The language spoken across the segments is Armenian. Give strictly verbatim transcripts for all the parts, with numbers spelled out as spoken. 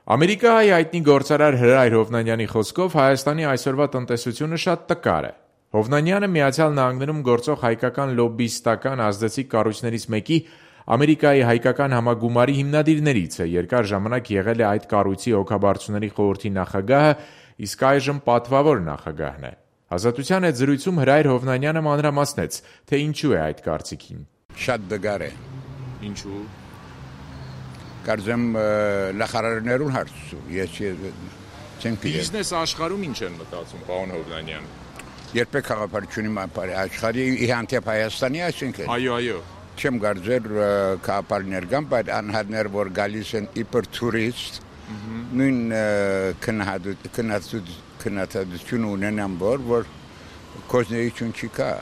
Ամերիկայի հայտնի գործարար Հրայր Հովնանյանի խոսքով Հայաստանի այսօրվա տնտեսությունը շատ տկար է։ Հովնանյանը Միացյալ Նահանգներում գործող հայկական լոբբիստական ազդեցիկ կառույցներից մեկի Ամերիկայի հայկական համագումարի հիմնադիրներից է, երկար ժամանակ եղել է այդ կառույցի հոգաբարձուների խորհրդի նախագահը, իսկ այժմ պատվավոր նախագահն է։ Ազատության հետ զրույցում Հրայր Հովնանյանը մանրամասնեց, թե ինչու է այդ կարծիքին։ Շատ դգար է։ Ինչու՞։ Կարծեմ նախարարներուն հարցում, ես չեմ գիտեմ։ Բիզնես աշխարհում ինչ են մտածում, պարոն Հովնանյան։ Երբեք խաղապարությունի աշխարհի իհանդեպ Հայաստանի այսինքն։ Այո, այո։ Չեմ կարծեր խաղապարներ կան, բայց անհատներ, որ գալիս են իբր տուրիստ, նույն քննադատություն ունենան, որ կոզնեություն չի կա։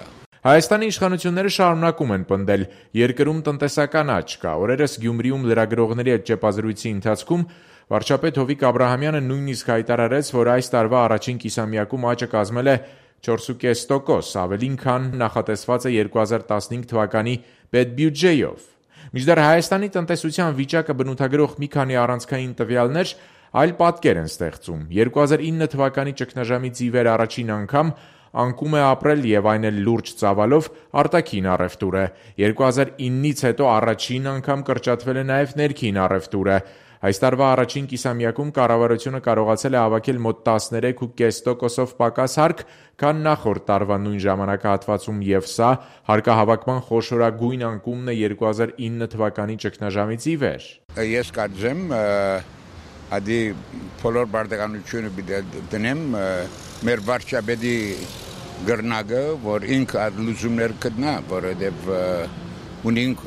Հայաստանի իշխանությունները շարունակում են պնդել երկրում տնտեսական աճ կա։ Օրերս Գյումրիում լրագրողների հետ ճեպազրույցի ընթացքում վարչապետ Հովիկ Աբրահամյանը նույնիսկ հայտարարեց, որ այս տարվա առաջին կիսամյակում աճը կազմել է չորս կόμμα պենս տոկոս, ավելին քան նախատեսված է երկու հազար տասնհինգ թվականի պետբյուջեով։ Մինչդեռ Հայաստանի տնտեսության վիճակը բնութագրող մի քանի առանցքային տվյալներ այլ պատկեր են ստեղծում։ երկու հազար ինը թվականի ճգնաժամից ի վեր առաջին անգամ անկում է ապրել եւ այն էլ լուրջ ծավալով արտաքին առևտուրը։ երկու հազար ինից հետո առաջին անգամ կրճատվել է նաեւ ներքին առևտուրը։ Այս տարվա առաջին կիսամյակում կառավարությունը կարողացել է հավաքել մոտ տասներեք կόμμα պենս տոկոսով պակաս հարկ, քան նախորդ տարվա նույն ժամանակահատվածում, եւ սա հարկահավաքման խոշորագույն անկումն է երկու հազար ինը թվականի ճգնաժամից ի վեր։ Ես կարծեմ, ադի բոլոր բարդականությունը դնեմ մեր վարչապետի գրնագը, որ ինքը լուծումներ կդնա, որովհետև ունենք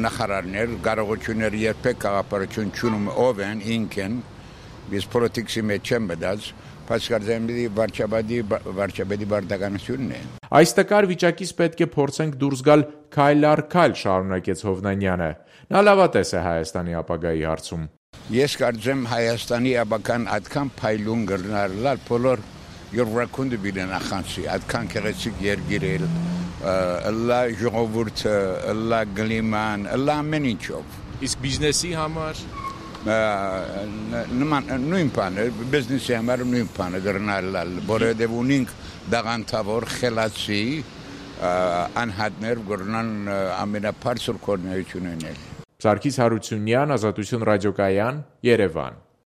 նախարարներ, կարողություններ երբեք կաղապարություն չունում ով են, ինք են, ես պոլիտիքսի մեջ չեմ մտած, բայց կարծեմ վարչապետի բարդականությունն է։ Այս տկար վիճակից պետք է փորձենք դուրս գալ քայլ առ քայլ, շարունակեց Հովնանյանը։ Նա լավատես է Հայաստանի ապագայի հարցում։ Ես կարծեմ Հայաստանի ապագան այդքան փայլուն կլինի, բոլոր յուրաքանչյուր բիլեն նախանցի, այդքան գեղեցիկ երկիր է, լա ժողովուրդը, լա գլիման, լա ամեն ինչով։ Իսկ բիզնեսի համար նույն բանը, բիզնեսի համար նույն բանը դառնալ, որովհետև ունենք դաղանթավոր խելացի անհատներ, որոնք ամենաբարձր կողմնակցություն ունեն։ Սարգիս Հարությունյան, Ազատություն ռադիոկայան, Երևան։